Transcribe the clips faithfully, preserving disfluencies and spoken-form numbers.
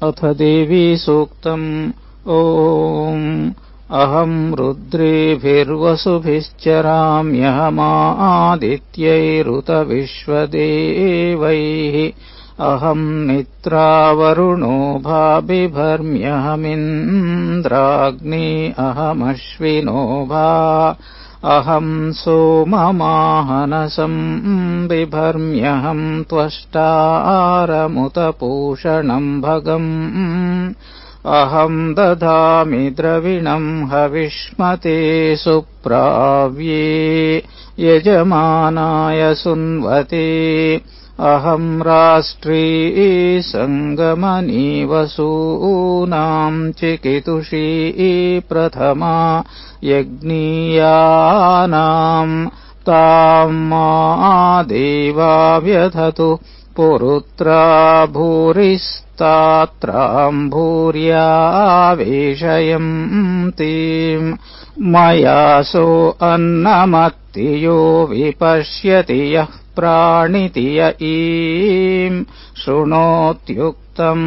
अथ देवी सूक्तम्। ॐ अहम् रुद्रेभिर्वसुभिश्चराम्यहमादित्यैरुतविश्वदेवैः अहम् निद्रावरुणो भाबिभर्म्यहमिन्द्राग्नी अहमश्विनो भा अहम् सोममाहनसम् बिभर्म्यहम् त्वष्टारमुतपूषणम् भगम् अहम् दधामि द्रविणम् हविष्मते सुप्राव्ये यजमानाय सुन्वते अहम् राष्ट्री सङ्गमनी वसूनाम् चिकितुषी प्रथमा यज्ञीयानाम् ताम् मा देवा व्यधतु पुरुत्रा भूरिस्तात्राम् भूर्यावेशयन्तीम् मयासो अन्नमत्ति यो विपश्यति यः प्राणिति य ईम् शृणोत्युक्तम्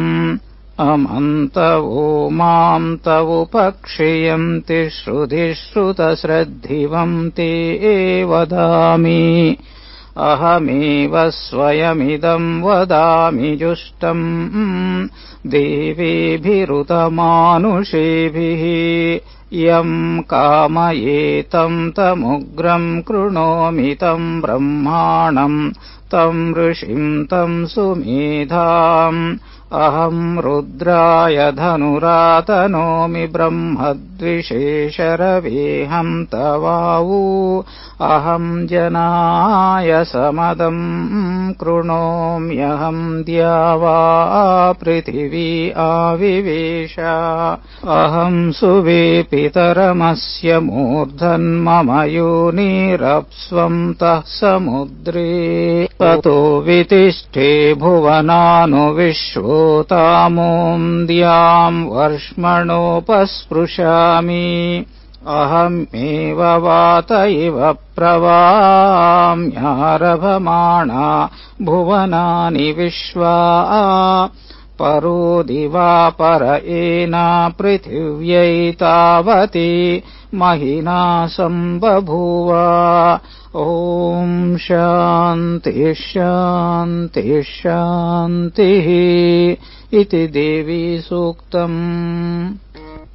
अमन्तवो माम् तवुपक्षियन्ति श्रुतिश्रुतश्रद्धिवम् ते वदामि अहमेव स्वयमिदम् वदामि जुष्टम् देवेभिरुतमानुषेभिः यम् कामयेतम् तमुग्रम् कृणोमि तम् ब्रह्माणम् तम् ऋषिम् तम् सुमेधाम् अहम् रुद्राय धनुरातनोमि ब्रह्मद्विषेशरवेऽहम् तवावू अहम् जनाय समदम् कृणोम्यहम् द्यावा पृथिवी आविवेश अहम् सुवे पितरमस्य मूर्धन्मम योनिरप्स्वम् तः समुद्रे ततो वितिष्ठे भुवनानुविश्वोतामोऽन्द्याम् वर्ष्मणोपस्पृशामि अहमेव वात इव प्रवाम्यारभमाणा भुवनानि विश्वा परो दिवापर एना पृथिव्यै तावती महिना सम्बभूव ॐ शान्तिः शान्तिः शान्तिः इति देवी सूक्तम्।